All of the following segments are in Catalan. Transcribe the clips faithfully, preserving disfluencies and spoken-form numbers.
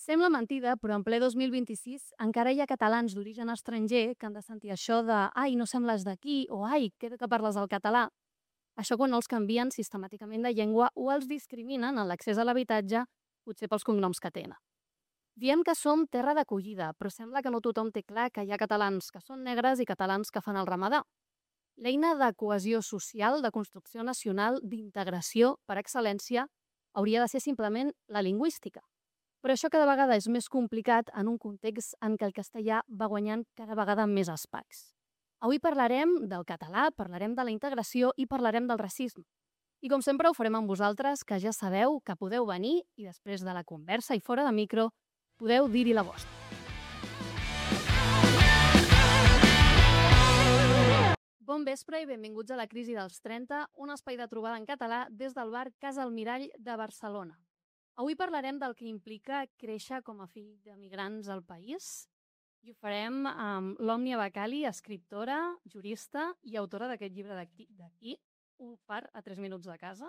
Sembla mentida, però en ple dos mil vint-i-sis encara hi ha catalans d'origen estranger que han de sentir això de «ai, no sembles d'aquí» o «ai, queda que parles el català». Això quan els canvien sistemàticament de llengua o els discriminen en l'accés a l'habitatge, potser pels cognoms que tenen. Diem que som terra d'acollida, però sembla que no tothom té clar que hi ha catalans que són negres i catalans que fan el ramadà. L'eina de cohesió social, de construcció nacional, d'integració, per excel·lència, hauria de ser simplement la lingüística. Però això cada vegada és més complicat en un context en què el castellà va guanyant cada vegada més espais. Avui parlarem del català, parlarem de la integració i parlarem del racisme. I com sempre ho farem amb vosaltres, que ja sabeu que podeu venir i després de la conversa i fora de micro podeu dir-hi la vostra. Bon vespre i benvinguts a la Crisi dels trenta, un espai de trobada en català des del bar Casa Almirall de Barcelona. Avui parlarem del que implica créixer com a fill d'emigrants al país i ho farem amb l'Òmnia Bacali, escriptora, jurista i autora d'aquest llibre d'aquí, d'aquí, Un far a tres minuts de casa,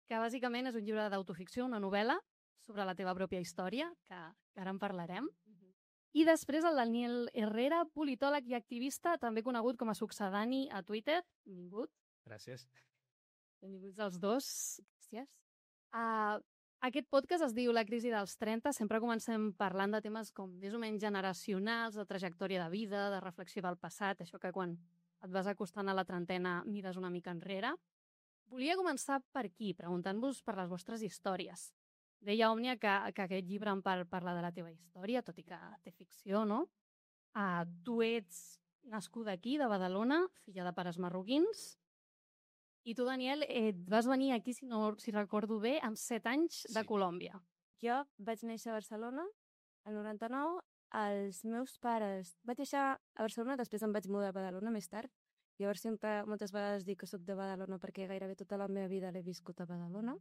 que bàsicament és un llibre d'autoficció, una novel·la sobre la teva pròpia història, que ara en parlarem. I després el Daniel Herrera, politòleg i activista, també conegut com a succedani a Twitter. Benvingut. Gràcies. Benvinguts els dos. Gràcies. Uh, aquest podcast es diu La crisi dels trenta. Sempre comencem parlant de temes com més o menys generacionals, de trajectòria de vida, de reflexió del passat, això que quan et vas acostant a la trentena mires una mica enrere. Volia començar per aquí, preguntant-vos per les vostres històries. Deia Òmnia que, que aquest llibre en part parla de la teva història, tot i que té ficció, no? Uh, tu ets nascuda aquí, de Badalona, filla de pares marroquins, i tu, Daniel, et vas venir aquí, si no si recordo bé, amb set anys de Sí. Colòmbia. Jo vaig néixer a Barcelona, el noranta-nou. Els meus pares... Vaig néixer a Barcelona, després em vaig mudar a Badalona més tard. Llavors sempre, moltes vegades dic que soc de Badalona perquè gairebé tota la meva vida l'he viscut a Badalona.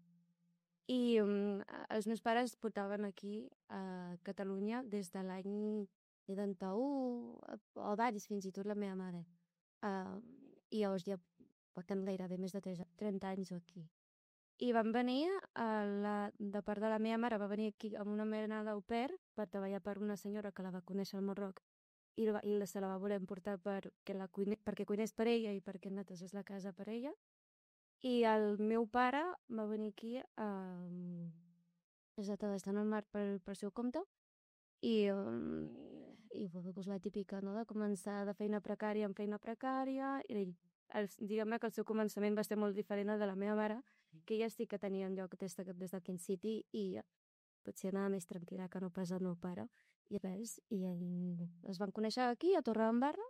I um, els meus pares portaven aquí a Catalunya des de l'any setanta-u o abans, fins i tot la meva mare. Uh, I llavors ja portem gairebé més de trenta anys aquí. I van venir, a la, de part de la meva mare, va venir aquí amb una mena d'au pair per treballar per una senyora que la va conèixer al Marroc i, la, i se la va voler portar per, que la cuine, perquè cuinés per ella i perquè netesés la casa per ella. I el meu pare va venir aquí a estar al mar per, per seu compte i, um, i doncs la típica, no?, de començar de feina precària en feina precària i el, diguem-ne que el seu començament va ser molt diferent al de la meva mare, que ella sí que tenia un lloc des, de, des del Ken City i potser anava més tranquil·la que no pas el meu pare. I res, i ell, es van conèixer aquí, a Torredembarra,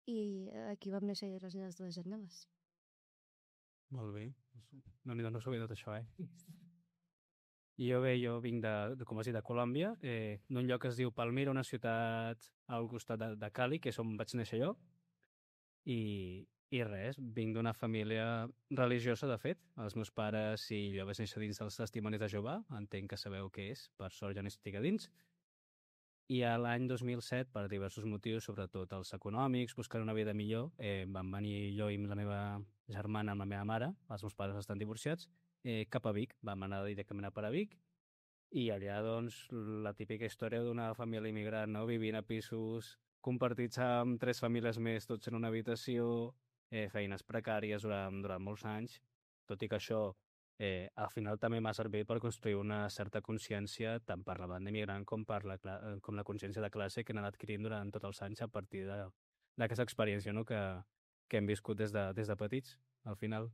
i aquí vam néixer les meves dues germanes. Molt bé. No, no, no sabia tot això, eh? I jo bé, jo vinc de, de com has dit, de Colòmbia, eh, d'un lloc que es diu Palmira, una ciutat al costat de, de Cali, que és on vaig néixer jo. I, i res, vinc d'una família religiosa, de fet. Els meus pares, si jo vaig néixer dins dels testimonis de Jehovà, entenc que sabeu què és, per sort ja no estic a dins. I a l'any dos mil set, per diversos motius, sobretot els econòmics, buscant una vida millor, eh, vam venir jo i la meva germana amb la meva mare, els meus pares estan divorciats, eh, cap a Vic. Vam anar directament a per a Vic i allà, doncs, la típica història d'una família immigrant, no?, vivint a pisos compartits amb tres famílies més, tots en una habitació, eh, feines precàries durant, durant molts anys, tot i que això eh, al final també m'ha servit per construir una certa consciència tant per la banda immigrant com per la, com la consciència de classe que he anat adquirint durant tots els anys a partir d'aquesta experiència, no?, que, que hem viscut des de, des de petits, al final.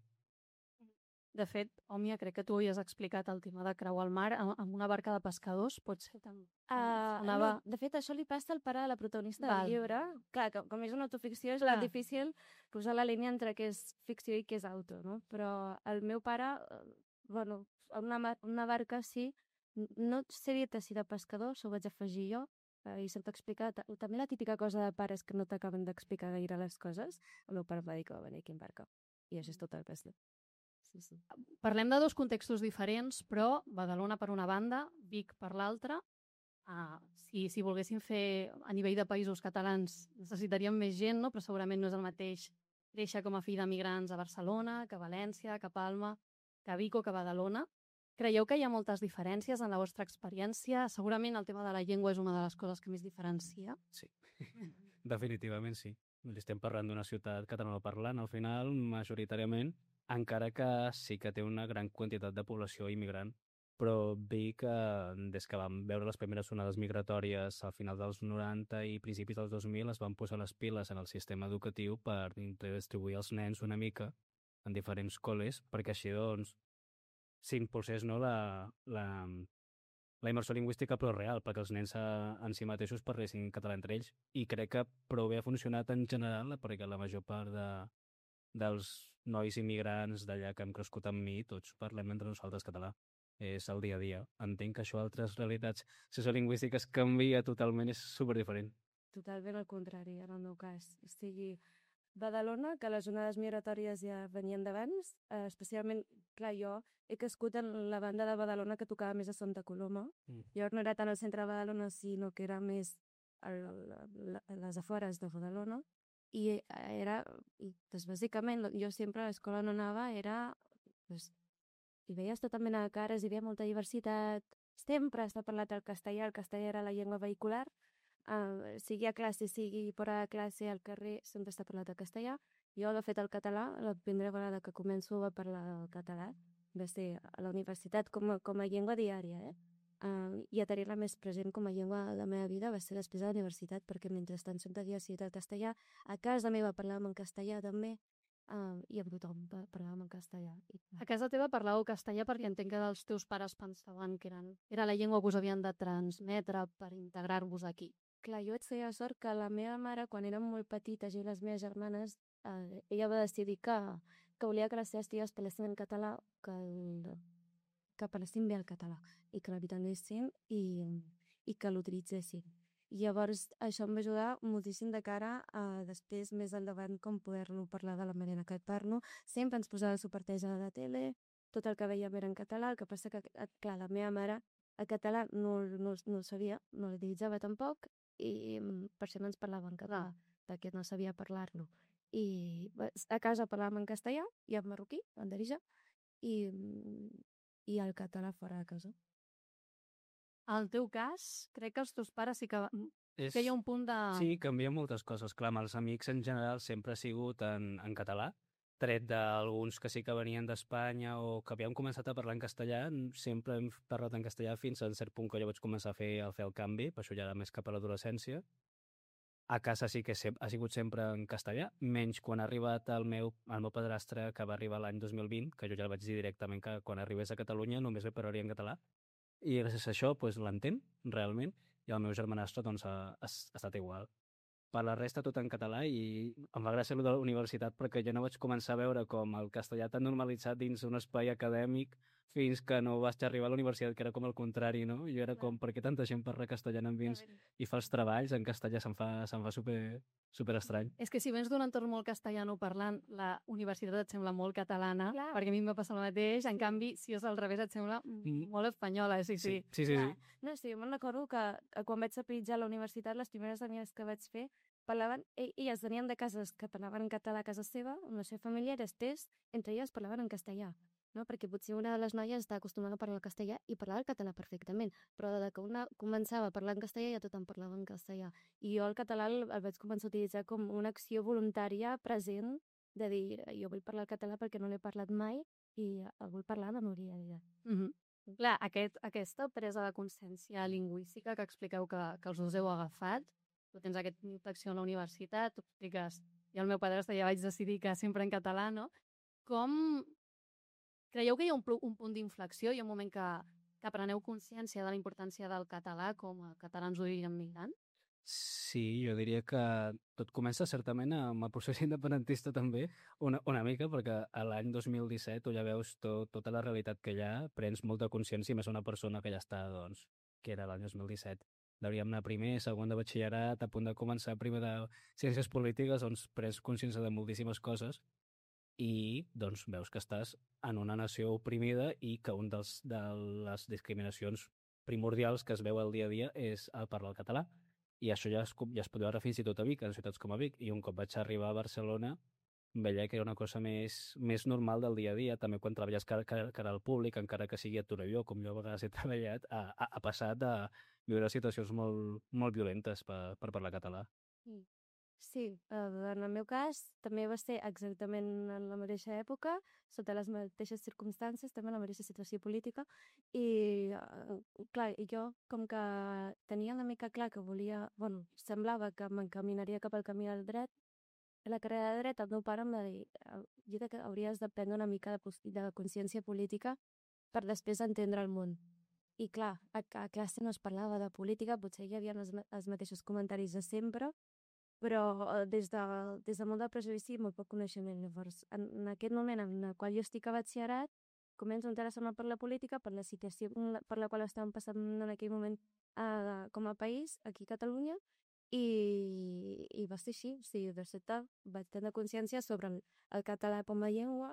De fet, Òmnia, crec que tu havies explicat el tema de creuar el mar amb una barca de pescadors, pot ser tan... Uh, sonava... no, de fet, això li passa al pare de la protagonista Val. del llibre. Clar, que, com és una autoficció, és Clar. difícil posar la línia entre què és ficció i què és auto, no? Però el meu pare, eh, bueno, una, una barca sí, no sé dir-te si de pescador, s'ho vaig afegir jo, eh, i se'm t'ha explicat, també la típica cosa de pares que no t'acaben d'explicar gaire les coses, el meu pare em va dir que va venir aquí en barca, i això és tot el pes. Sí, sí. Parlem de dos contextos diferents, però Badalona per una banda, Vic per l'altra. Uh, si, si volguéssim fer a nivell de països catalans necessitaríem més gent, no? Però segurament no és el mateix créixer com a fill d'emigrants a Barcelona, que a València, que a Palma, que a Vic o que a Badalona. Creieu que hi ha moltes diferències en la vostra experiència? Segurament el tema de la llengua és una de les coses que més diferencia. Sí, definitivament sí. Estem parlant d'una ciutat catalanoparlant, al final, majoritàriament, encara que sí que té una gran quantitat de població immigrant. Però Vic, eh, des que vam veure les primeres onades migratòries al final dels noranta i principis dels dos mil, es van posar les piles en el sistema educatiu per distribuir els nens una mica en diferents col·les, perquè així, doncs, s'impulsés, no, la, la, la immersió lingüística, però real, perquè els nens a, en si mateixos parlessin català entre ells. I crec que prou bé ha funcionat en general, perquè la major part de, dels nois immigrants d'allà que hem crescut amb mi, tots parlem entre nosaltres català. És el dia a dia. Entenc que això a altres realitats sociolingüístiques canvia totalment, és superdiferent. Totalment al contrari, en el meu cas. O sigui, Badalona, que les onades migratòries ja venien d'abans, eh, especialment, clar, jo he crescut en la banda de Badalona que tocava més a Santa Coloma. Mm. Llavors no era tant al centre de Badalona, sinó que era més a, a, a les afores de Badalona. I era, i, doncs, bàsicament, jo sempre a l'escola no anava, era, doncs, hi veies tota mena de cares, hi havia molta diversitat, sempre s'ha parlat el castellà, el castellà era la llengua vehicular, uh, sigui a classe, sigui fora de classe, al carrer, sempre s'ha parlat el castellà. Jo, de fet, el català, la primera vegada que començo a parlar el català, va ser a la universitat com a, com a llengua diària, eh? Uh, i a tenir-la més present com a llengua de la meva vida va ser després de la universitat, perquè mentrestant sempre havia sigut el castellà. A casa meva parlàvem en castellà també, Uh, i amb tothom parlàvem en castellà. I... A casa teva parlàveu castellà perquè entenc que els teus pares pensaven que eren, era la llengua que us havien de transmetre per integrar-vos aquí. Clar, jo vaig tenir la sort que la meva mare, quan érem molt petites, i les meves germanes, eh, ella va decidir que, que volia que les seves filles parlessin en català, que, el, que parlessin bé el català, i que l'habitanessin i, i que l'utilitzessin. I llavors això em va ajudar moltíssim de cara a després, més endavant, com poder-lo parlar de la manera que et parlo. Sempre ens posava subtitles a la tele, tot el que veiem era en català, el que passa que, clar, la meva mare el català no, no, no el sabia, no l'utilitzava tampoc, i per això no ens parlava en català, perquè no sabia parlar-lo. I a casa parlàvem en castellà i en marroquí, en Darija, i, i el català fora de casa. Al teu cas, crec que els teus pares sí que, És... que hi ha un punt de... Sí, canvia moltes coses. Clar, amb els amics en general sempre ha sigut en, en català, tret d'alguns que sí que venien d'Espanya o que havíem començat a parlar en castellà, sempre hem parlat en castellà fins a un cert punt que jo vaig començar a fer, a fer el canvi, per això ja era més cap a l'adolescència. A casa sí que ha sigut sempre en castellà, menys quan ha arribat el meu, el meu padrastre, que va arribar l'any dos mil vint, que jo ja el vaig dir directament que quan arribés a Catalunya només li parlaria en català. I gràcies a això pues, l'entén, realment, i el meu germanastre doncs, ha, ha, ha estat igual. Per la resta tot en català i em va gràcia de la universitat perquè jo no vaig començar a veure com el castellà tan normalitzat dins un espai acadèmic fins que no vaig arribar a la universitat, que era com el contrari, no? Jo era com, per què tanta gent parla castellà en vins i fa els treballs en castellà, se'm fa, se'm fa super, super estrany. És que si vens d'un entorn molt castellano parlant, la universitat et sembla molt catalana, Clar. perquè a mi em va passar el mateix, en canvi, si és al revés, et sembla Mm. molt espanyola, sí, sí. Sí, sí, sí. sí. No, sí, jo me'n recordo que quan vaig sapitjar a la universitat, les primeres amigues que vaig fer parlaven, elles venien de cases que parlaven en català a casa seva, amb la seva família, i després, entre elles parlaven en castellà, no? Perquè potser una de les noies està acostumada a parlar el castellà i parlava el català perfectament, però de que una començava a parlar en castellà ja tothom parlava en castellà. I jo el català el, el vaig començar a utilitzar com una acció voluntària present de dir, jo vull parlar el català perquè no l'he parlat mai i el vull parlar de memòria. Mm -hmm. Clar, aquest, aquesta presa de consciència lingüística que expliqueu que, que els dos heu agafat, tu tens aquesta inflexió a la universitat, tu expliques, i el meu padrastre ja vaig decidir que sempre en català, no? Com creieu que hi ha un, un punt d'inflexió, hi ha un moment que, que preneu consciència de la importància del català com a catalans d'origen migrant? Sí, jo diria que tot comença certament amb el procés independentista també, una, una mica, perquè a l'any dos mil disset tu ja veus tot, tota la realitat que hi ha, prens molta consciència, i més una persona que ja està, doncs, que era l'any dos mil disset. Hauríem anar primer, segon de batxillerat, a punt de començar primer de ciències polítiques, doncs prens consciència de moltíssimes coses i doncs veus que estàs en una nació oprimida i que un dels, de les discriminacions primordials que es veu al dia a dia és el parlar el català. I això ja es, ja es pot veure fins i tot a Vic, en ciutats com a Vic. I un cop vaig arribar a Barcelona veia que era una cosa més, més normal del dia a dia, també quan treballes cara, cara, cara al públic, encara que sigui a Torelló, com jo a vegades he treballat, ha, ha, ha passat de viure situacions molt, molt violentes per, per parlar català. Mm. Sí, eh, en el meu cas també va ser exactament en la mateixa època, sota les mateixes circumstàncies, també en la mateixa situació política, i eh, clar, i jo com que tenia una mica clar que volia, bueno, semblava que m'encaminaria cap al camí del dret, a la carrera de dret el meu pare em va dir "Eh, Gita, que hauries de prendre una mica de, pos- de consciència política per després entendre el món. I clar, a, a classe no es parlava de política, potser hi havia els, ma- els mateixos comentaris de sempre, però eh, des de, des de molt de prejudici i molt poc coneixement. Llavors, en, en aquest moment en el qual jo estic a batxillerat, començo a interessar-me per la política, per la situació en la- per la qual estàvem passant en aquell moment eh, com a país, aquí a Catalunya, i, i va ser així. O sigui, de seguida vaig tenir consciència sobre el, el català com a llengua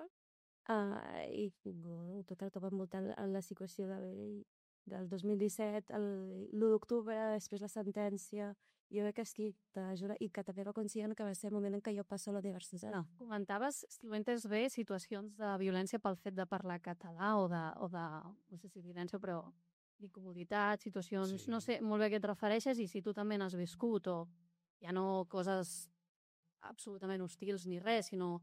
eh, i bueno, tot el que va envoltant la, la situació del, del dos mil disset, el- l'u d'octubre, després la sentència, jo crec que és qui t'ajuda i que també era conscient que va ser el moment en què jo passo a la universitat. No. Comentaves, si ho he entès bé, situacions de violència pel fet de parlar català o de, o de no sé si violència, però d'incomoditat, situacions, Sí. no sé molt bé a què et refereixes i si tu també n'has viscut o ja no coses absolutament hostils ni res, sinó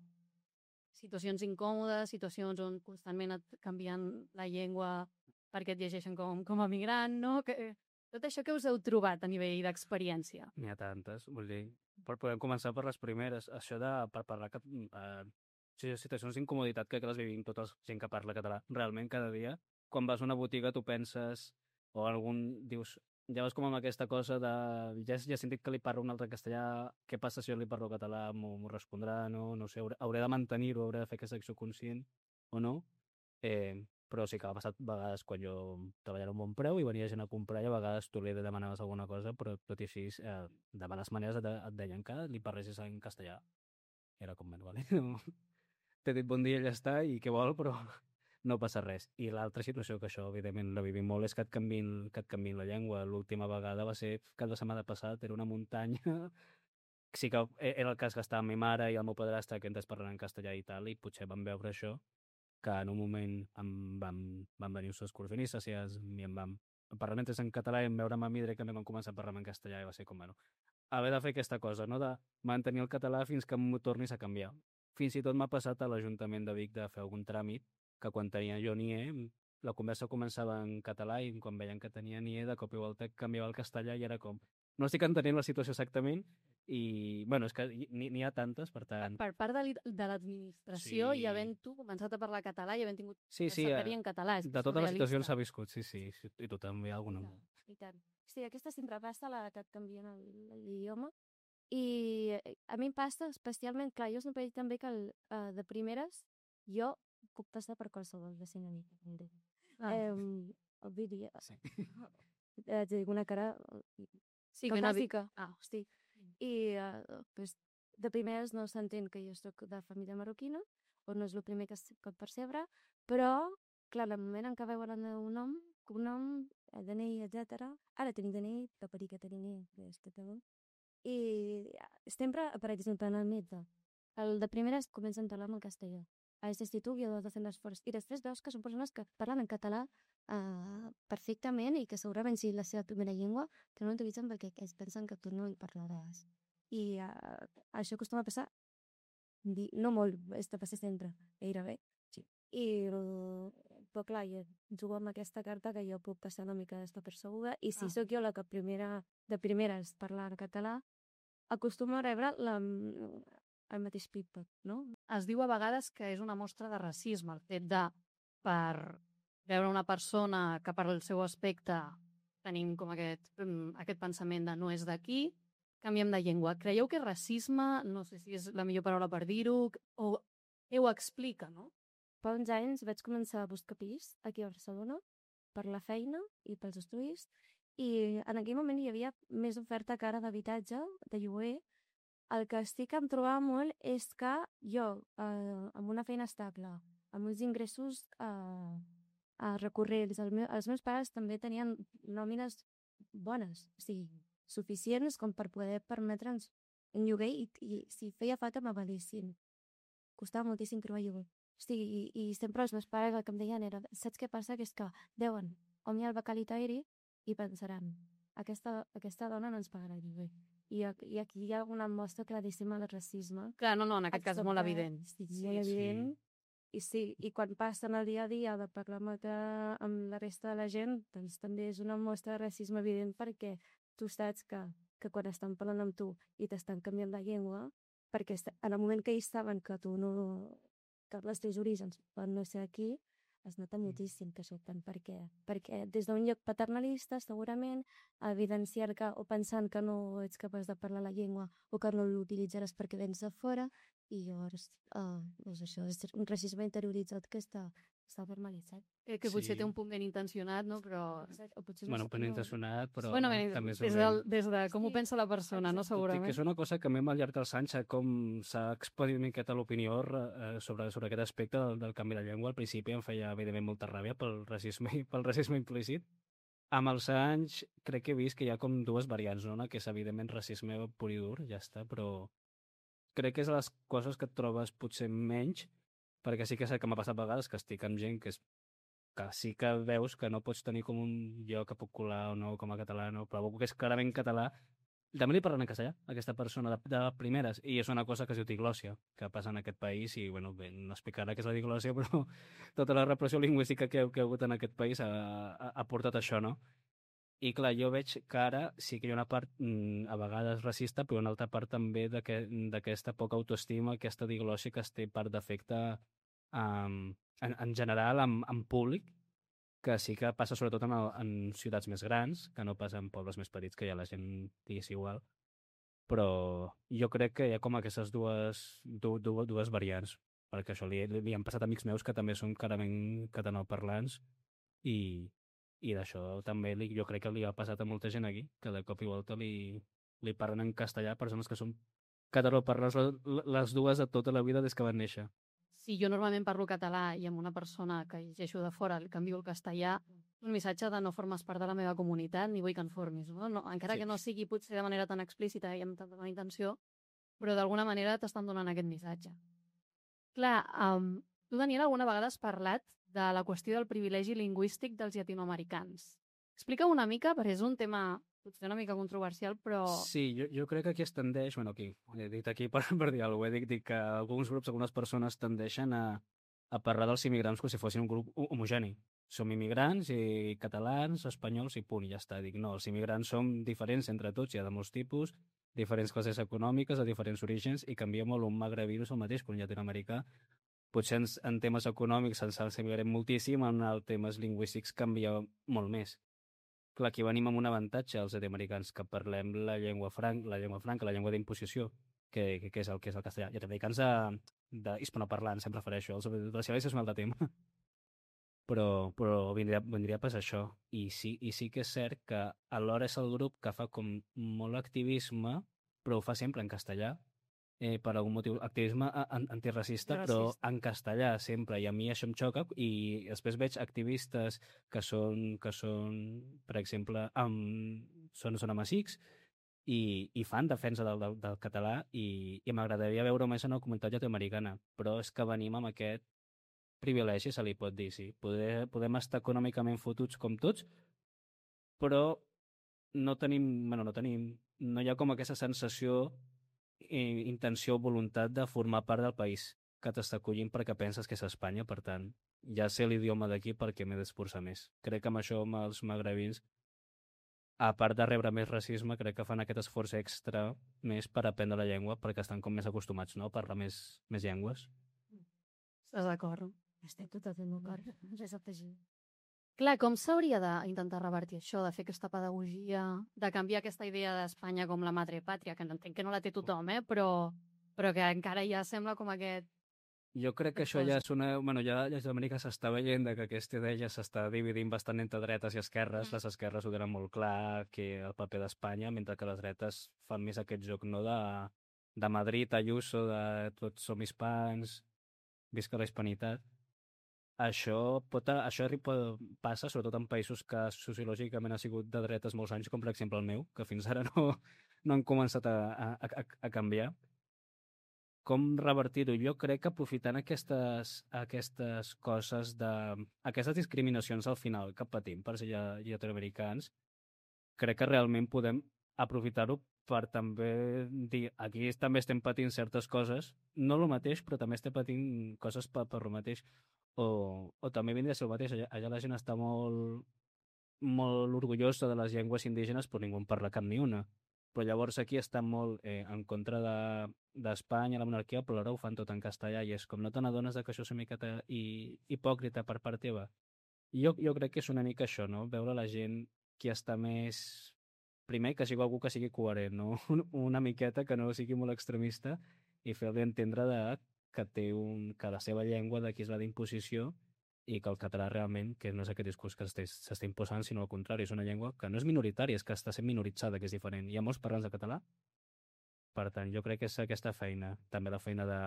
situacions incòmodes, situacions on constantment et canvien la llengua perquè et llegeixen com, com a migrant, no? Que, tot això que us heu trobat a nivell d'experiència. N'hi ha tantes, vull dir, però podem començar per les primeres. Això de, per parlar, cat- eh, sí, situacions d'incomoditat crec que les vivim tota la gent que parla català realment cada dia. Quan vas a una botiga tu penses, o algun, dius, ja vas com amb aquesta cosa de, ja, ja he sentit que li parlo un altre castellà, què passa si jo li parlo català, m'ho m'ho respondrà, no, no sé, hauré, hauré de mantenir-ho, hauré de fer aquesta acció conscient o no. Eh, però sí que ha passat vegades quan jo treballava a un bon preu i venia gent a comprar i a vegades tu li demanaves alguna cosa, però tot i així, eh, de males maneres et, et deien que li parlessis en castellà. I era com, bueno, vale, no, t'he dit bon dia i ja està, i què vol, però no passa res. I l'altra situació, que això evidentment la vivim molt, és que et canvin, que et canvin la llengua. L'última vegada va ser cap de setmana passat, era una muntanya. Sí que e- era el cas que estava amb mi mare i el meu padrastre, que ens parlant en castellà i tal, i potser vam veure això, que en un moment em vam, van venir els excursionistes i, es, i em vam parlar mentre en català i em veure amb mi directament vam començar a parlar en castellà i va ser com, bueno, haver de fer aquesta cosa, no? De mantenir el català fins que m'ho tornis a canviar. Fins i tot m'ha passat a l'Ajuntament de Vic de fer algun tràmit que quan tenia jo NIE, la conversa començava en català i quan veien que tenia NIE de cop i volta canviava al castellà i era com, no estic entenent la situació exactament i, bueno, és que n'hi n'hi ha tantes, per tant... Per part de l'i- de l'administració Sí. i havent tu començat a parlar català i havent tingut Sí, sí, secretari eh, en català. És de totes les situacions s'ha surrealista. viscut, sí, sí, sí, i tu també alguna. I tant, i tant. Sí, aquesta sempre passa, la que et canvien el- l'idioma. I eh, a mi em passa especialment, clar, jo sempre he dit també que el, uh, de primeres jo puc passar per qualsevol de cinc amics. Ah. Eh, vull dir, Sí. eh, tinc una cara eh, Sí, ben avi- caucàsica. Ah, Sí. I uh, pues, de primeres no s'entén que jo sóc de família marroquina, o no és el primer que, es, que et percebre, però, clar, en el moment en què veuen el meu nom, cognom, eh, D N I, etcètera. Ara tinc D N I, que per que tenir que és català. I sempre, per exemple, en el metge, el de primeres comencen a parlar en castellà. A l'institut i a de fer l'esforç. I després veus que són persones que parlen en català uh, perfectament i que segurament si la seva primera llengua que no l'utilitzen perquè es pensen que tu no hi parlaràs. I uh, això acostuma a passar, di, no molt, és de passar sempre, gairebé. Sí. I, uh, però clar, jo jugo amb aquesta carta que jo puc passar una mica despercebuda i si Ah. sóc jo la que primera, de primeres parla en català, acostumo a rebre la, el mateix feedback, no? Es diu a vegades que és una mostra de racisme, el fet de, per veure una persona que per al seu aspecte tenim com aquest, um, aquest pensament de no és d'aquí, canviem de llengua. Creieu que és racisme? No sé si és la millor paraula per dir-ho, o què ho explica, no? Fa uns anys vaig començar a buscar pis aquí a Barcelona per la feina i pels estudis i en aquell moment hi havia més oferta cara d'habitatge, de lloguer. El que sí que em trobava molt és que jo, eh, amb una feina estable, amb uns ingressos eh, eh, recurrents, el meu, els meus pares també tenien nòmines bones, o sigui, suficients com per poder permetre'ns un lloguer i, i si feia falta m'avalissin. costava moltíssim trobar iogurt. Hosti, i, i sempre els meus pares el que em deien era, saps què passa? Que és que deuen omniar el becal itairi i pensaran, aquesta, aquesta dona no ens pagarà el lloguer. I, ac- I aquí hi ha una mostra claríssima del racisme. Clar, no, no, en aquest cas és molt Absolutament. evident. Sí, Sí, molt sí. evident. I sí, i quan passen el dia a dia de parlar amb, altra- amb la resta de la gent, doncs també és una mostra de racisme evident perquè tu saps que, que quan estan parlant amb tu i t'estan canviant la llengua, perquè est- en el moment que ells saben que tu no... que els teus orígens poden no ser aquí, es nota moltíssim que surten. Per què? Perquè des d'un lloc paternalista, segurament, evidenciar que, o pensant que no ets capaç de parlar la llengua o que no l'utilitzaràs perquè vens de fora, i llavors, uh, doncs això és un racisme interioritzat que està, està normalitzat. Que, que potser Sí. té un punt ben intencionat, no? Però... O potser Bueno, no, ben intencionat, però Bueno, ben, també és des, dolent. del, des de com ho Sí, pensa la persona, no? exacte. Tot i Segurament. que és una cosa que a mi al llarg dels anys s'ha com s'ha expandit una miqueta l'opinió eh, sobre, sobre aquest aspecte del, del canvi de llengua. Al principi em feia evidentment molta ràbia pel racisme, pel racisme implícit. Amb els anys crec que he vist que hi ha com dues variants, no? Una que és evidentment racisme pur i dur, ja està, però crec que és de les coses que et trobes potser menys, perquè sí que és el que m'ha passat a vegades, que estic amb gent que, és, que sí que veus que no pots tenir com un jo que puc colar o no com a català, no, però algú que és clarament català, també li parlen en castellà, aquesta persona de, de primeres, i és una cosa que es diu diglòssia, que passa en aquest país, i bueno, bé, no explicarà què és la diglòssia, però tota la repressió lingüística que, que ha hagut en aquest país ha, ha, ha portat això, no? I clar, jo veig que ara sí que hi ha una part mm, a vegades racista, però una altra part també d'aquesta poca autoestima, aquesta diglòssia que es té per defecte um, en, en general, en, en públic, que sí que passa sobretot en, el, en ciutats més grans, que no passa en pobles més petits, que ja la gent digués igual. Però jo crec que hi ha com aquestes dues, du, du, dues variants, perquè això li, li han passat amics meus que també són clarament catalanoparlants i, i d'això també li, jo crec que li ha passat a molta gent aquí, que de cop i volta li, li parlen en castellà persones que són catalanoparlants les, les dues de tota la vida des que van néixer. Si jo normalment parlo català i amb una persona que llegeixo de fora li canvio el castellà, un missatge de no formes part de la meva comunitat ni vull que en formis, no? No, encara Sí. que no sigui potser de manera tan explícita i amb tanta bona intenció, però d'alguna manera t'estan donant aquest missatge. Clar, um, tu, Daniel, alguna vegada has parlat de la qüestió del privilegi lingüístic dels llatinoamericans. Explica una mica, perquè és un tema potser una mica controversial, però... Sí, jo, jo crec que aquí es tendeix, bueno, aquí, he dit aquí per, per dir alguna cosa, he dit, dit que alguns grups, algunes persones tendeixen a, a parlar dels immigrants com si fossin un grup ho- homogeni. Som immigrants i catalans, espanyols i punt, i ja està. Dic, no, els immigrants som diferents entre tots, hi ha de molts tipus, diferents classes econòmiques, de diferents orígens, i canvia molt un magrebí no és el mateix que un llatinoamericà. Potser en, en temes econòmics ens assimilarem moltíssim, en els temes lingüístics canvia molt més. Clar, aquí venim amb un avantatge els llatinoamericans, que parlem la llengua franca, la llengua franca, la llengua d'imposició, que, que, que, és el que és el castellà. Llatinoamericans de, hispanoparlants, em refereixo, els brasilers és un altre tema. Però, però vindria, vindria pas això. I sí, I sí que és cert que alhora és el grup que fa com molt activisme, però ho fa sempre en castellà, eh, per algun motiu, activisme a- an- antiracista, però Racista. en castellà sempre, i a mi això em xoca, i després veig activistes que són, que són per exemple, amb, són, són amazics, i, i fan defensa del, del, del català, i, i m'agradaria veure més en la comunitat llatinoamericana, però és que venim amb aquest privilegi, se li pot dir, sí. Poder, podem estar econòmicament fotuts com tots, però no tenim, bueno, no tenim, no hi ha com aquesta sensació i intenció o voluntat de formar part del país que t'està acollint perquè penses que és Espanya, per tant, ja sé l'idioma d'aquí perquè m'he d'esforçar més. Crec que amb això, amb els magrebins, a part de rebre més racisme, crec que fan aquest esforç extra més per aprendre la llengua perquè estan com més acostumats, no?, a parlar més, més llengües. Estàs d'acord? Estic totalment d'acord. Res a afegir. Clar, com s'hauria d'intentar revertir això, de fer aquesta pedagogia, de canviar aquesta idea d'Espanya com la madre pàtria, que entenc que no la té tothom, eh? però, però que encara ja sembla com aquest... Jo crec que Aquest això ja cosa. és una... Bueno, ja a Llatinoamèrica s'està veient de que aquesta idea ja s'està dividint bastant entre dretes i esquerres. Mm. Les esquerres ho tenen molt clar, que el paper d'Espanya, mentre que les dretes fan més aquest joc, no?, de, de Madrid, Ayuso, de tots som hispans, visca la hispanitat. Això, pot, això pot, passa sobretot en països que sociològicament ha sigut de dretes molts anys, com per exemple el meu, que fins ara no, no han començat a, a, a, a canviar. com revertir-ho? Jo crec que aprofitant aquestes, aquestes coses, de, aquestes discriminacions al final que patim per ser lle- llatinoamericans, crec que realment podem aprofitar-ho per també dir, aquí també estem patint certes coses, no el mateix, però també estem patint coses per, per el mateix. O, o també vindria a ser el mateix, allà, allà la gent està molt, molt orgullosa de les llengües indígenes, però ningú en parla cap ni una. Però llavors aquí estan molt eh, en contra de- d'Espanya, la monarquia, però ara ho fan tot en castellà i és com no te n'adones de que això és una miqueta hi, hipòcrita per part teva. Jo, jo crec que és una mica això, no? Veure la gent qui està més... Primer, que sigui algú que sigui coherent, no? Un- Una miqueta que no sigui molt extremista i fer-li entendre de que té un, que la seva llengua d'aquí és la d'imposició i que el català realment, que no és aquest discurs que s'està s'està imposant, sinó al contrari, és una llengua que no és minoritària, és que està sent minoritzada, que és diferent. Hi ha molts parlants de català, per tant, jo crec que és aquesta feina, també la feina de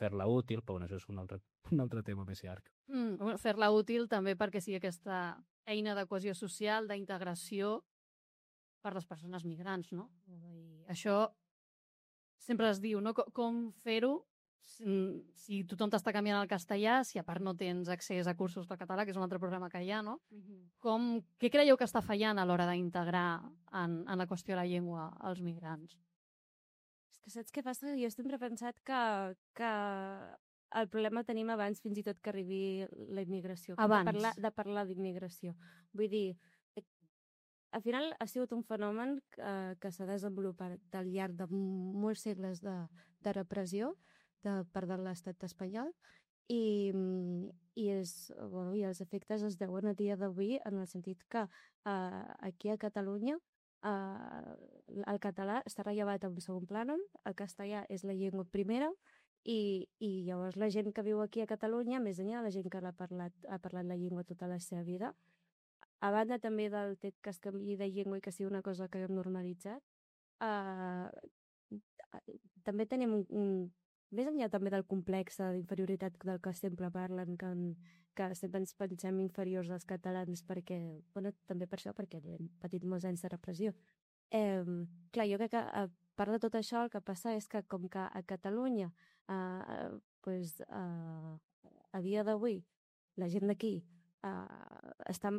fer-la útil, però bueno, això és un altre, un altre tema més llarg. Mm, bueno, fer-la útil també perquè sigui aquesta eina de cohesió social, d'integració per les persones migrants, no? I això sempre es diu, no? Co- Com fer-ho si, si tothom t'està canviant al castellà, si a part no tens accés a cursos de català, que és un altre programa que hi ha, no? Com, què creieu que està fallant a l'hora d'integrar en, en la qüestió de la llengua als migrants? És que saps què passa? Jo sempre he pensat que, que el problema tenim abans fins i tot que arribi la immigració. Abans. De parlar, de parlar d'immigració. Vull dir, eh, al final ha sigut un fenomen que, que s'ha desenvolupat al llarg de molts segles de, de repressió de part de l'estat espanyol i, mm, i, és, bueno, i els efectes es deuen a dia d'avui en el sentit que eh, aquí a Catalunya eh, el català està rellevat en segon plànol, el castellà és la llengua primera i, i llavors la gent que viu aquí a Catalunya, més enllà de la gent que l'ha parlat, ha parlat la llengua tota la seva vida, a banda també del fet que es canviï de llengua i que sigui una cosa que hem normalitzat, eh, també tenim un, un més enllà també del complex d'inferioritat del que sempre parlen, que, que sempre ens pensem inferiors als catalans perquè, bueno, també per això, perquè hem patit molts anys de repressió. Eh, clar, jo crec que a part de tot això el que passa és que com que a Catalunya eh, pues, eh, a dia d'avui la gent d'aquí eh, està,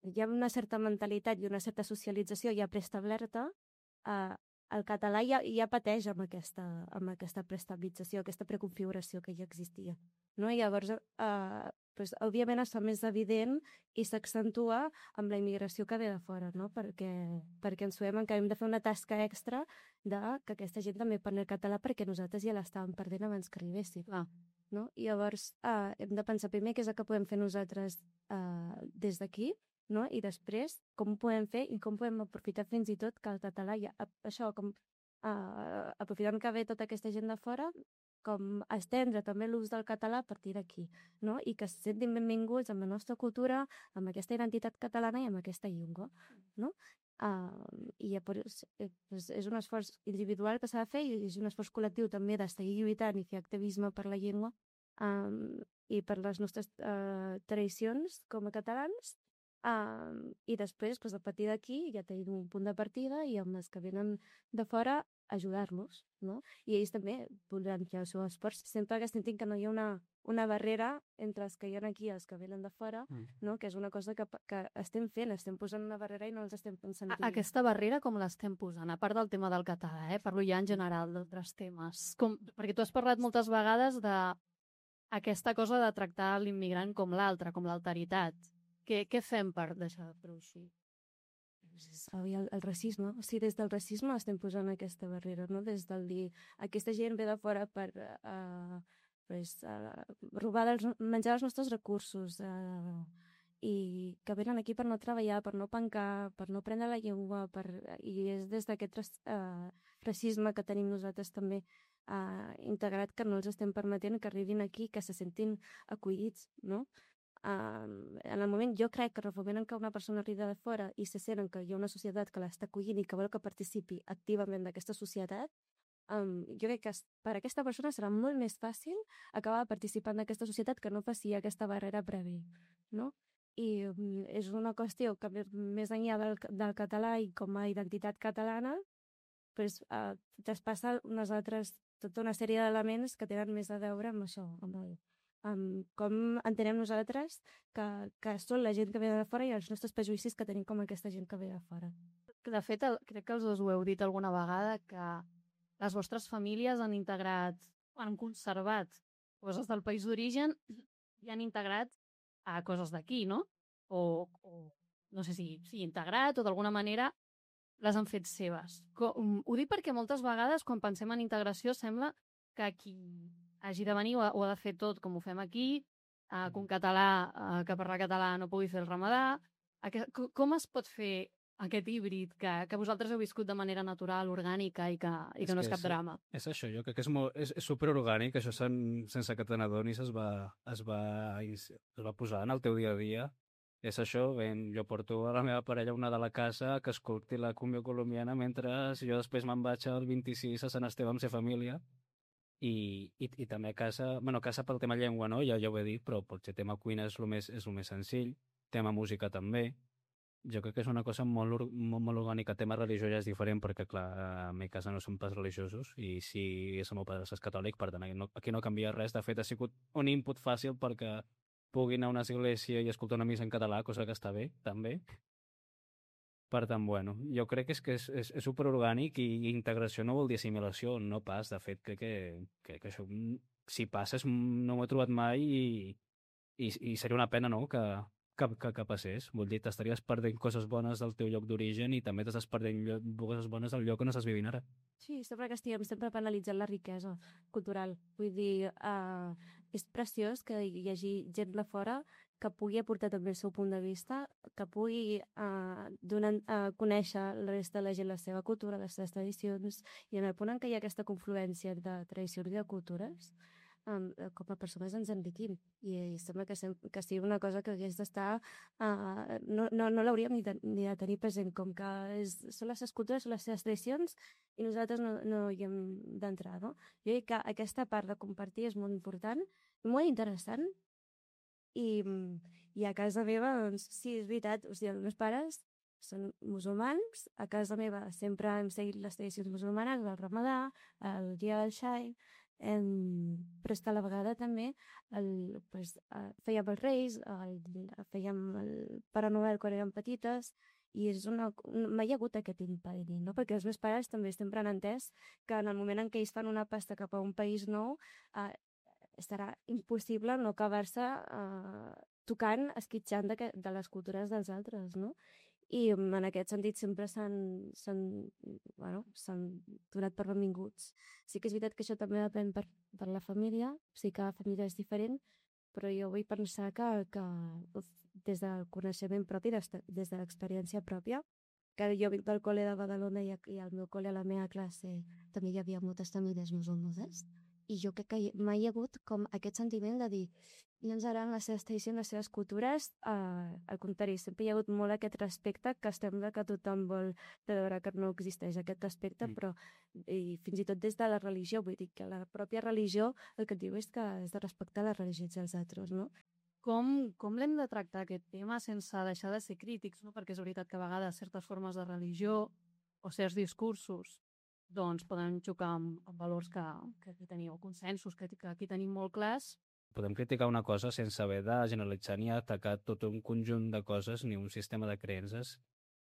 hi ha una certa mentalitat i una certa socialització ja preestablerta, eh, el català ja, ja pateix amb aquesta, amb aquesta preestabilització, aquesta preconfiguració que ja existia. No? I llavors, eh, pues, òbviament es fa més evident i s'accentua amb la immigració que ve de fora, no? perquè, perquè ens trobem que hem de fer una tasca extra de que aquesta gent també parli català perquè nosaltres ja l'estàvem perdent abans que arribéssim. Clar. No? I llavors eh, hem de pensar primer què és el que podem fer nosaltres eh, des d'aquí, no? I després com ho podem fer i com podem aprofitar fins i tot que el català ja, això, com uh, aprofitant que ve tota aquesta gent de fora, com estendre també l'ús del català a partir d'aquí, no? I que se sentin benvinguts amb la nostra cultura, amb aquesta identitat catalana i amb aquesta llengua, no? Uh, i llavors eh, pues és un esforç individual que s'ha de fer i és un esforç col·lectiu també de seguir lluitant i fer activisme per la llengua um, i per les nostres uh, tradicions com a catalans. Um, i després, pues, a partir d'aquí ja tenim un punt de partida i amb els que venen de fora ajudar-los, no? I ells també podran fer el seu esforç sempre que sentin que no hi ha una, una barrera entre els que hi ha aquí i els que venen de fora, mm. no? Que és una cosa que, que estem fent, estem posant una barrera i no els estem pensant. A aquesta barrera com l'estem posant? A part del tema del català, eh? Parlo ja en general d'altres temes. Com, perquè tu has parlat moltes vegades de aquesta cosa de tractar l'immigrant com l'altre, com l'alteritat. Què, què fem per deixar de fer-ho així? El, el racisme, o sigui, des del racisme estem posant aquesta barrera, no? Des del dir, aquesta gent ve de fora per uh, pues, uh, robar dels, menjar els nostres recursos uh, i que venen aquí per no treballar, per no pencar, per no prendre la llengua, per, i és des d'aquest uh, racisme que tenim nosaltres també uh, integrat que no els estem permetent que arribin aquí, que se sentin acollits, no? Uh, en el moment, jo crec que en el moment en què una persona arriba de fora i se senten que hi ha una societat que l'està acollint i que vol que participi activament d'aquesta societat, um, jo crec que per a aquesta persona serà molt més fàcil acabar participant d'aquesta societat que no faci aquesta barrera prèvia, no? I um, és una qüestió que més enllà del, del català i com a identitat catalana pues, uh, traspassa unes altres tota una sèrie d'elements que tenen més a veure amb això, amb, el, amb com entenem nosaltres que, que són la gent que ve de fora i els nostres prejudicis que tenim com aquesta gent que ve de fora. De fet, el, crec que els dos ho heu dit alguna vegada, que les vostres famílies han integrat, han conservat coses del país d'origen i han integrat a coses d'aquí, no? O, o no sé si, si integrat o d'alguna manera les han fet seves. Com, ho dic perquè moltes vegades quan pensem en integració sembla que qui hagi de venir ho ha, ho ha de fer tot com ho fem aquí, eh, que un català eh, que parla català no pugui fer el ramadà. Aquest, com es pot fer aquest híbrid que, que vosaltres heu viscut de manera natural, orgànica i que, i que És no és que cap és- drama? És això, jo crec que és, molt, és, és superorgànic, això sen, sense que te n'adonis es, va, es, va, es va posar en el teu dia a dia. És això, ben, jo porto a la meva parella una de la casa que escolti la cumbia colombiana mentre jo després me'n vaig al vint-i-sis a Sant Esteve amb sa família i, i, i també a casa, bueno, a casa pel tema llengua, no? Ja, ja ho he dit, però potser tema cuina és el més, és el més senzill, tema música també. Jo crec que és una cosa molt, or- molt, molt orgànica. Tema religió ja és diferent perquè, clar, a mi casa no som pas religiosos i si és el meu pare és catòlic, per tant, aquí no, aquí no canvia res. De fet, ha sigut un input fàcil perquè pugui anar a una església i escoltar una missa en català, cosa que està bé, també. Per tant, bueno, jo crec que és que és, és, és superorgànic i integració no vol dir assimilació, no pas. De fet, crec que, que, que això, mm, si passes, mm, no m'ho he trobat mai i, i, i seria una pena, no?, que, que, que, que passés. Vull dir, t'estaries perdent coses bones del teu lloc d'origen i també t'estàs perdent llo- coses bones del lloc on estàs vivint ara. Sí, sembla que estiguem sempre penalitzant la riquesa cultural. Vull dir, uh, és preciós que hi hagi gent de fora que pugui aportar també el seu punt de vista, que pugui uh, donar a uh, conèixer la resta de la gent la seva cultura, les seves tradicions, i en el punt en què hi ha aquesta confluència de tradicions i de cultures, um, com a persones ens enriquim. I, i sembla que, sem que sigui una cosa que hagués d'estar... Uh, no no, no l'hauríem ni, de, ni de tenir present, com que és, són les seves cultures, són les seves tradicions, i nosaltres no, no hi hem d'entrar, no? Jo crec que aquesta part de compartir és molt important, molt interessant, i, i a casa meva, doncs, sí, és veritat, o sigui, els meus pares són musulmans, a casa meva sempre hem seguit les tradicions musulmanes, el ramadà, el dia del xai, em, però és que a la vegada també el, pues, eh, fèiem els reis, el, fèiem el Pare Noel quan érem petites, i és una, mai hi ha hagut aquest impediment, no? Perquè els meus pares també sempre han entès que en el moment en què ells fan una pasta cap a un país nou, eh, serà impossible no acabar-se eh, tocant, esquitxant de, que, de les cultures dels altres, no? I mm, en aquest sentit sempre s'han s'han bueno, s'han donat per benvinguts. Sí que és veritat que això també depèn per, per la família, sí que cada família és diferent, però jo vull pensar que, que uf, des del coneixement propi, des de, des de l'experiència pròpia, que jo vinc del col·le de Badalona i, i al meu col·le, a la meva classe, també hi havia moltes famílies musulmanes, i jo crec que hi- mai hi ha hagut com aquest sentiment de dir no ens agraden les seves tradicions, les seves cultures, eh, al contrari, sempre hi ha hagut molt aquest respecte que sembla que tothom vol veure que no existeix aquest respecte, Mm. però i fins i tot des de la religió, vull dir que la pròpia religió el que et diu és que has de respectar les religions dels altres, no? Com, com l'hem de tractar aquest tema sense deixar de ser crítics, no? Perquè és veritat que a vegades certes formes de religió o certs discursos doncs poden xocar amb, amb valors que, que aquí teniu, consensos que, que aquí tenim molt clars. Podem criticar una cosa sense haver de generalitzar ni atacar tot un conjunt de coses ni un sistema de creences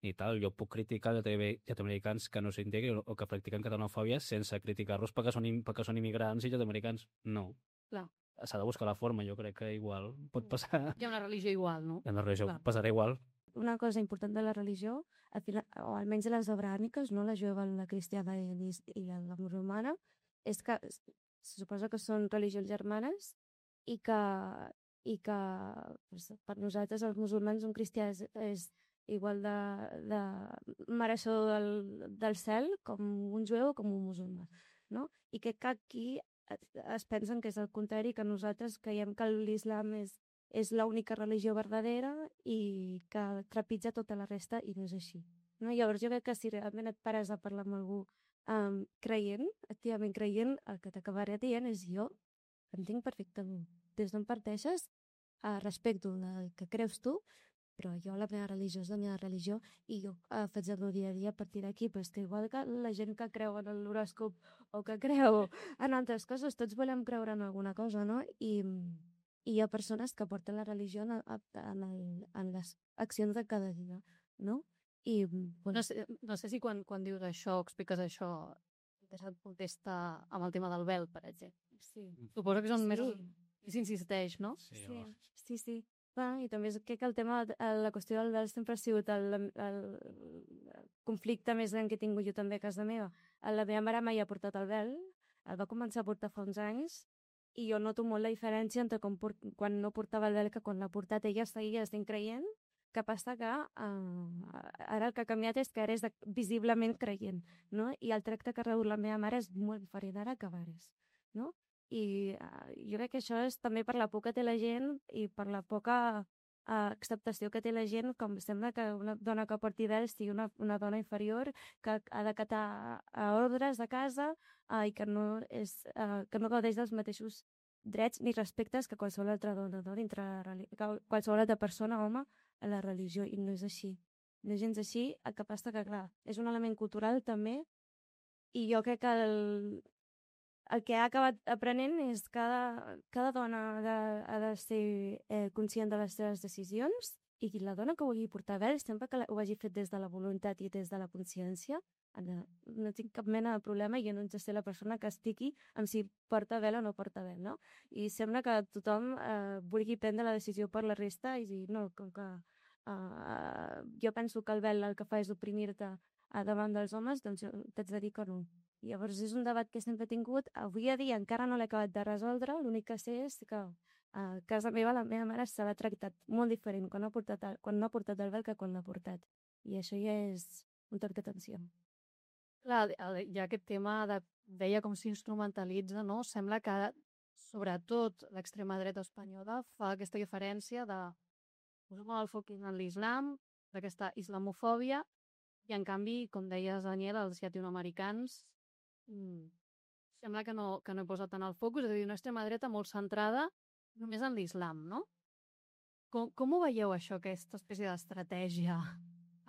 i tal. Jo puc criticar llatinoamericans que no s'integren o que practiquen catalanofòbia sense criticar-los perquè són, im- perquè són immigrants i llatinoamericans. No. Clar, S'ha de buscar la forma, jo crec que igual pot passar. hi ha una religió igual, no? En la regió Clar. passarà igual. Una cosa important de la religió, al final, o almenys de les abrahàmiques, no? La jueva, la cristiana i, l'is- i la, la musulmana, és que s- se suposa que són religions germanes i que, i que pues, per nosaltres els musulmans un cristià és, és igual de, de mereixedor del, del cel com un jueu o com un musulmà, no? I que, que aquí es, es pensen que és el contrari, que nosaltres creiem que l'islam és és l'única religió verdadera i que trepitja tota la resta i no és així. No? Llavors jo crec que si realment et pares a parlar amb algú um, creient, activament creient, el que t'acabaré dient és jo entenc perfectament. Des d'on parteixes, uh, respecto el que creus tu, però jo la meva religió és la meva religió i jo eh, faig el meu dia a dia a partir d'aquí, però és que igual que la gent que creu en l'horòscop o que creu en altres coses, tots volem creure en alguna cosa, no? I, i hi ha persones que porten la religió en, en, el, en les accions de cada dia, no? I, bueno, No sé, no sé si quan, quan dius això o expliques això et contesta amb el tema del vel, per exemple. sí. Suposo que és on Sí. més, més insisteix, no? Sí, Sí, home. sí, sí. Bueno, I també és que el tema, el- la qüestió del vel sempre ha sigut el, el, el conflicte més gran que he tingut jo també a casa meva. La meva mare mai ha portat el vel, el va començar a portar fa uns anys, i jo noto molt la diferència entre com port, quan no portava el vel que quan l'ha portat. Ella seguia estant creient, que passa que uh, ara el que ha canviat és que ara és de, visiblement creient, no? I el tracte que reu la meva mare és molt diferent ara que abans, no? I uh, jo crec que això és també per la por que té la gent i per la poca uh, acceptació que té la gent, com sembla que una dona que porti vel sigui una, una dona inferior, que ha d'acatar uh, ordres de casa uh, i que no, és, uh, que no gaudeix dels mateixos drets ni respectes que qualsevol altra dona, no? Dintre la, qualsevol altra persona, home, a la religió, i no és així. No és gens així, el que passa que, clar, és un element cultural també, i jo crec que el, el que ha acabat aprenent és que cada, cada dona ha de, ha de ser eh, conscient de les seves decisions, i la dona que vulgui portar vel, sempre que ho hagi fet des de la voluntat i des de la consciència, no, no tinc cap mena de problema, i jo no haig de ser la persona que estigui amb si porta vel o no porta vel, no? I sembla que tothom eh, vulgui prendre la decisió per la resta i dir, no, com que uh, jo penso que el vel el que fa és oprimir-te a davant dels homes, doncs t'haig de dir que no. I llavors és un debat que sempre he tingut, avui a dia encara no l'he acabat de resoldre, l'únic que sé és que a casa meva la meva mare se l'ha tractat molt diferent quan no ha portat el, quan no ha portat el vel que quan l'ha portat. I això ja és un toc d'atenció. Clar, hi ha aquest tema de veia com s'instrumentalitza, no? Sembla que, sobretot, l'extrema dreta espanyola fa aquesta diferència de posar molt el foc en l'islam, d'aquesta islamofòbia, i en canvi, com deies, Daniel, els llatinoamericans mmm, sembla que no, que no hi posa tant el focus, és a dir, una extrema dreta molt centrada només en l'islam, no? Com, com ho veieu, això, aquesta espècie d'estratègia?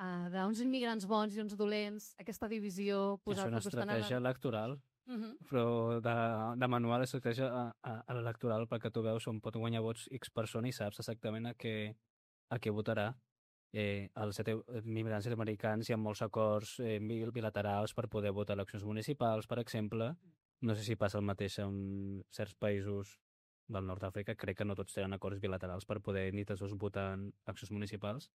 Uh, d'uns immigrants bons i uns dolents, aquesta divisió... És una estratègia la... electoral, uh -huh. però de, de manual estratègia a, a, a l'electoral, perquè tu veus on pot guanyar vots X persona i saps exactament a què, a què votarà. Eh, els immigrants americans hi ha molts acords eh, bilaterals per poder votar eleccions municipals, per exemple. No sé si passa el mateix en certs països del nord d'Àfrica. Crec que no tots tenen acords bilaterals per poder ni tots dos votar en eleccions municipals.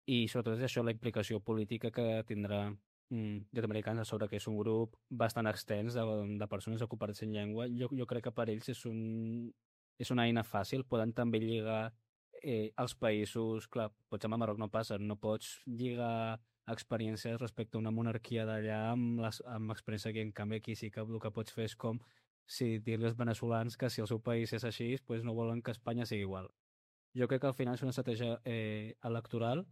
I sobretot és això la implicació política que tindrà mm, llatinoamericans a sobre, que és un grup bastant extens de, de persones ocupades en llengua. Jo, jo crec que per ells és, un, és una eina fàcil. Poden també lligar eh, els països... Clar, potser amb el Marroc no passa, no pots lligar experiències respecte a una monarquia d'allà amb, les, amb experiència aquí. En canvi, aquí sí que el que pots fer és com si dir-li als veneçolans que si el seu país és així, pues no volen que Espanya sigui igual. Jo crec que al final és una estratègia eh, electoral.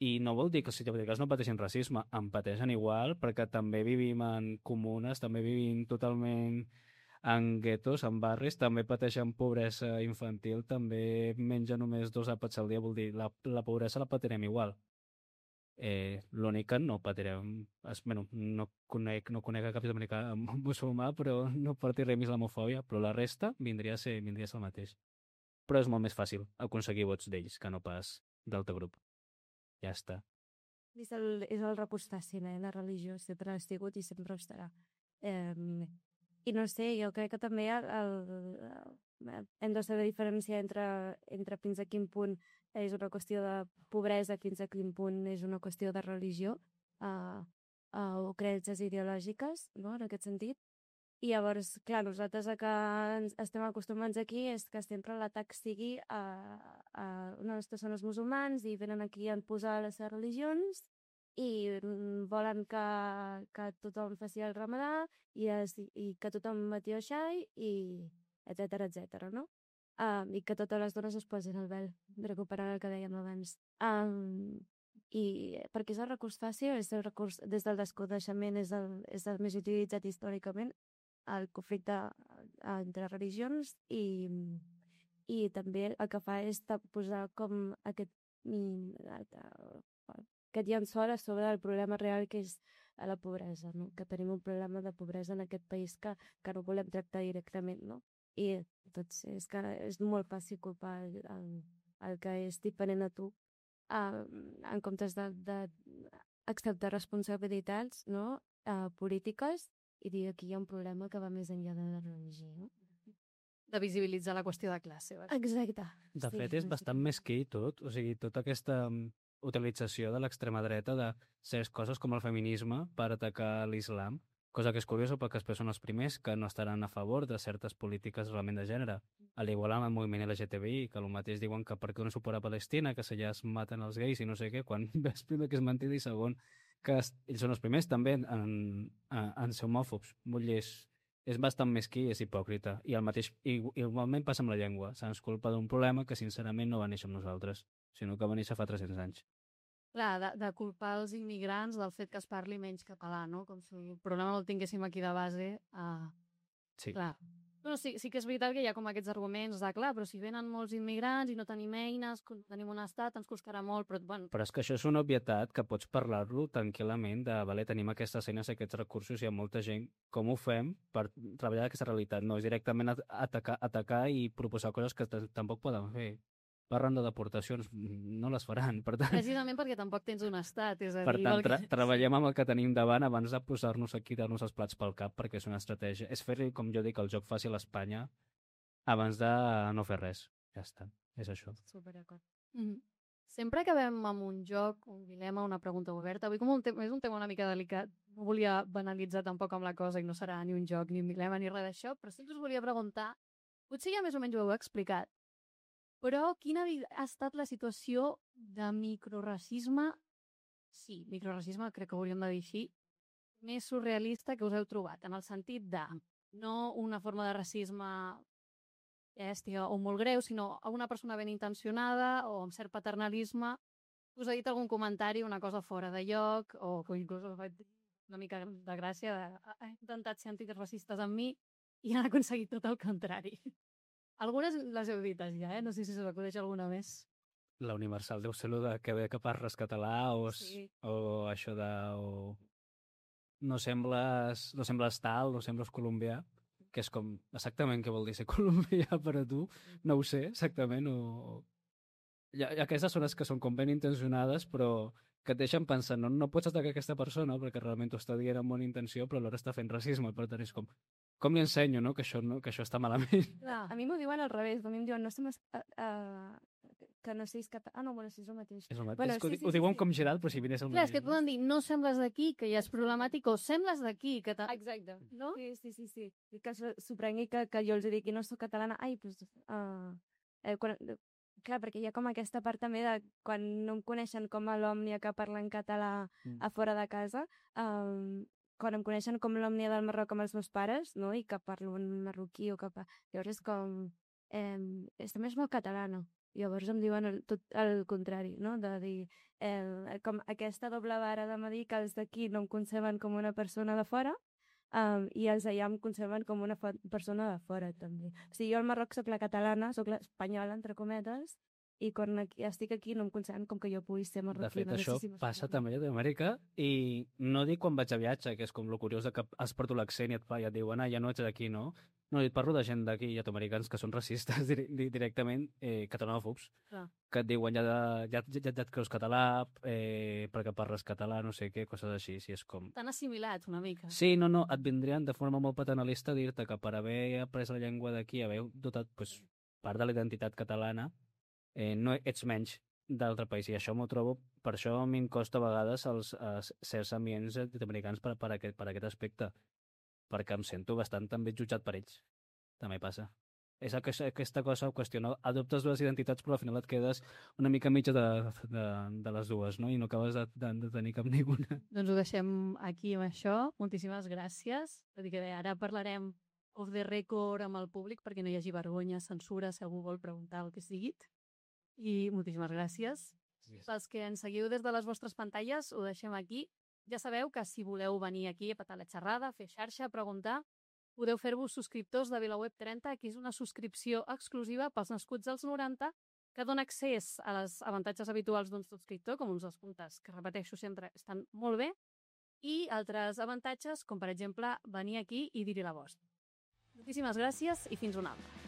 I no vol dir que els sud-americans no pateixin racisme, en pateixen igual, perquè també vivim en comunes, també vivim totalment en guetos, en barris, també pateixen pobresa infantil, també mengen només dos àpats al dia, vol dir, la, la pobresa la patirem igual. Eh, L'únic que no patirem... Es, bueno, no conec, no conec a cap sud-americà musulmà, però no patirem islamofòbia, però la resta vindria a ser, vindria a ser el mateix. Però és molt més fàcil aconseguir vots d'ells que no pas d'altre grup. Ja està. És el, és el repús fàcil, eh? La religió sempre ha sigut i sempre ho estarà. Eh, I no sé, jo crec que també el, el, hem de saber diferenciar entre, entre fins a quin punt és una qüestió de pobresa, fins a quin punt és una qüestió de religió uh, uh, o creences ideològiques, no?, en aquest sentit. I llavors, clar, nosaltres el que ens estem acostumats aquí és que sempre l'atac sigui a, a unes persones musulmans i venen aquí a posar les seves religions i volen que, que tothom faci el ramadà i, es, i que tothom mati el xai i etcètera, etcètera, no? Um, I que totes les dones es posin el vel, recuperant el que dèiem abans. Um, I perquè és el recurs fàcil, és el recurs des del desconeixement, és el, és el més utilitzat històricament, el conflicte entre religions i, i també el que fa és posar com aquest, aquest llençol a sobre del problema real que és la pobresa, no? Que tenim un problema de pobresa en aquest país que, que no volem tractar directament, no? I doncs és que és molt fàcil culpar el, el, el que és diferent a tu uh, en comptes de, de acceptar responsabilitats, no? Uh, polítiques i dir que hi ha un problema que va més enllà de la religió, no? De visibilitzar la qüestió de classe. Val? Exacte. De Sí, fet, és bastant mesquí tot. O sigui, tota aquesta mm, utilització de l'extrema dreta de certes coses com el feminisme per atacar l'islam, cosa que és curiosa perquè després són els primers que no estaran a favor de certes polítiques realment de gènere. A l'igual amb el moviment L G T B I, que el mateix diuen que per què no suport a Palestina, que allà es maten els gais i no sé què, quan ves primer que és mentida i segon que es, ells són els primers també en, en, en ser homòfobs. Vull dir, és, és bastant mesquí i és hipòcrita. I el mateix, igualment passa amb la llengua. Se'ns culpa d'un problema que sincerament no va néixer amb nosaltres, sinó que va néixer fa tres-cents anys. Clar, de, de culpar els immigrants del fet que es parli menys català, no? Com si el problema no el tinguéssim aquí de base. Uh, sí. Clar. No, sí, sí que és veritat que hi ha com aquests arguments de, clar, però si venen molts immigrants i no tenim eines, tenim un estat, ens costarà molt, però... Bueno. Però és que això és una obvietat que pots parlar-lo tranquil·lament de, vale, tenim aquestes eines, aquests recursos, hi ha molta gent, com ho fem per treballar aquesta realitat? No és directament atacar, atacar i proposar coses que tampoc poden fer. Parlen de deportacions, no les faran, per tant... Precisament perquè tampoc tens un estat, és a per dir... Per tant, tra que... treballem amb el que tenim davant abans de posar-nos aquí, dar-nos els plats pel cap, perquè és una estratègia. És fer-li, com jo dic, el joc fàcil a Espanya abans de no fer res. Ja està, és això. Superacord. Mm -hmm. Sempre acabem amb un joc, un dilema, una pregunta oberta. Avui com un és un tema una mica delicat. No volia banalitzar tampoc amb la cosa i no serà ni un joc, ni un dilema, ni res d'això, però sí que us volia preguntar, potser ja més o menys ho heu explicat, però quina ha estat la situació de microracisme, sí, microracisme, crec que ho hauríem de dir així, més surrealista que us heu trobat, en el sentit de no una forma de racisme bèstia o molt greu, sinó una persona ben intencionada o amb cert paternalisme us ha dit algun comentari, una cosa fora de lloc, o que inclús us ha fet una mica de gràcia, de, ha intentat ser antirracistes amb mi i han aconseguit tot el contrari. Algunes les heu dites ja, eh? No sé si us acudeix alguna més. La universal deu ser de que ve que parles català o, sí. o això de... O... No sembles, no sembles tal, no sembles colombià, que és com exactament què vol dir ser colombià per a tu, no ho sé exactament, o... I aquestes són les que són com ben intencionades, però que et deixen pensant, no, no pots atacar aquesta persona perquè realment t'ho està dient amb bona intenció, però alhora està fent racisme, per tant és com, com li ensenyo, no?, que això, no, que això està malament. Clar, a mi m'ho diuen al revés, a mi em diuen, no estem... Uh, uh, que no siguis català... Ah, no, bueno, sí, és el mateix. És el mateix, bueno, és que sí, ho, sí, ho sí, diuen sí. com girat, però si vinés el Clar, mateix. és que et poden dir, no sembles d'aquí, que ja és problemàtic, o sembles d'aquí, que... Exacte. No? Sí, sí, sí, sí. I que s'ho prengui que, que jo els dic que no soc catalana. Ai, doncs... Uh, eh, quan, clar, perquè hi ha com aquesta part també de quan no em coneixen com a l'òmnia que parla en català Mm. a fora de casa, um, quan em coneixen com l'òmnia del Marroc amb els meus pares, no?, i que parlo en marroquí o que... Pa... Llavors és com... Eh, és també és molt catalana. Llavors em diuen el, tot el contrari, no?, de dir eh, com aquesta doble vara de dir que els d'aquí no em conceben com una persona de fora um, i els d'allà em conceben com una persona de fora també. O sigui, jo al Marroc soc la catalana, soc l'espanyola, entre cometes, i quan aquí, estic aquí no em conceben com que jo pugui ser marroquina. De fet, no això sé si passa també a Amèrica, i no dic quan vaig a viatge, que és com lo curiós de que has portat l'accent i et, fa, i et diuen, ah, ja no ets d'aquí, no? No, et parlo de gent d'aquí, llatinoamericans, que són racistes directament, eh, catalanòfobs, Clar. que et diuen ja, de, ja, ja, ja et creus català, eh, perquè parles català, no sé què, coses així, si és com... T'han assimilat una mica. Sí, no, no, et vindrien de forma molt paternalista a dir-te que per haver après la llengua d'aquí, haver dotat pues, part de la identitat catalana, eh, no ets menys d'altre país, i això m'ho trobo, per això a mi em costa a vegades els, els certs ambients americans per, per, aquest, per aquest aspecte, perquè em sento bastant també jutjat per ells. També passa. És aquesta, aquesta cosa qüestiona, adoptes dues identitats però al final et quedes una mica mitja de, de, de les dues, no? I no acabes de, de, de tenir cap ninguna. Doncs ho deixem aquí amb això. Moltíssimes gràcies. Tot i que bé, ara parlarem off the record amb el públic perquè no hi hagi vergonya, censura, si algú vol preguntar el que sigui. I moltíssimes gràcies. Yes. Pels que ens seguiu des de les vostres pantalles, ho deixem aquí. Ja sabeu que si voleu venir aquí a petar la xerrada, fer xarxa, preguntar, podeu fer-vos subscriptors de VilaWeb trenta, que és una subscripció exclusiva pels nascuts als noranta, que dona accés a les avantatges habituals d'un subscriptor, com uns descomptes, que repeteixo sempre, estan molt bé, i altres avantatges, com per exemple venir aquí i dir-hi la vostra. Moltíssimes gràcies i fins una altra.